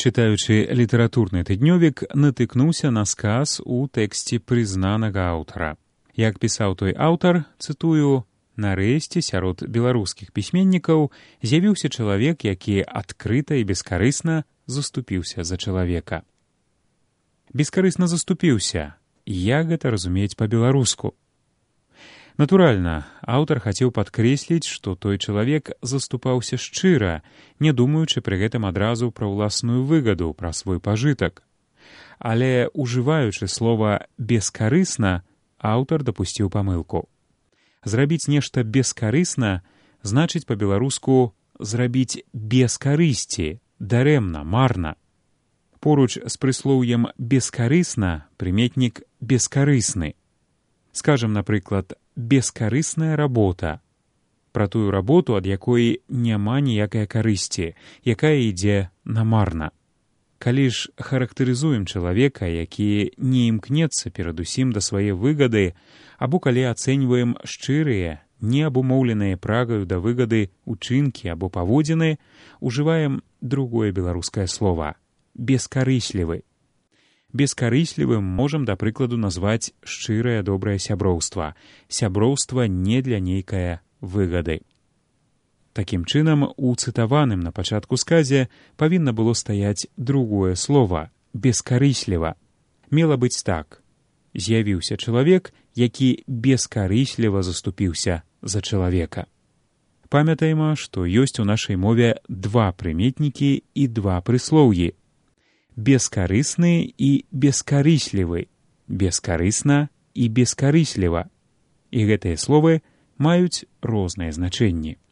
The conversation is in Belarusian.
Чытаючы літаратурны тыднёвік, натыкнуўся на сказ у тэксце прызнанага аўтара. Як пісаў той аўтар, цытую, «Нарэшце сярод беларускіх пісьменнікаў з'явіўся чалавек, які адкрыта і бескарысна заступіўся за чалавека». Бескарысна заступіўся. Як гэта разумець па-беларуску? Натуральна, аўтар хацеў падкрэсліць, што той чалавек заступаўся шчыра, не думаючы пры гэтым адразу пра ўласную выгаду, пра свой пажытак. Але, ужываючы слова «бескарысна», аўтар дапусціў памылку. Зрабіць нешта бескарысна значыць па-беларуску зрабіць без карысці, дарэмна, марна. Поруч з прыслоўем «бескарысна» прыметнік «бескарысны». Скажам, напрыклад, «бескарысная работа» пра тую работу, ад якой няма ніякай карысці, якая ідзе намарна. Калі ж характарызуем чалавека, які не імкнецца перадусім да свае выгады, або калі ацэньваем шчырыя, неабумоўленыя прагаю да выгады учынкі або паводзіны, ужываем другое беларускае слова – бескарыслівы. Бескарыслівым можам, да прыкладу, назваць шчырае добрае сяброўства. Сяброўства не для нейкае выгады. Такім чынам, у цытаваным на пачатку сказе павінна было стаяць другое слова – бескарысліва. Мела быць так. З'явіўся чалавек, які бескарысліва заступіўся за чалавека. Памятаем, што ёсць у нашай мове два прыметнікі і два прыслоўі. Бескарысны і бескарыслівы, бескарысна і бескарысліва. І гэтыя словы маюць розныя значэнні.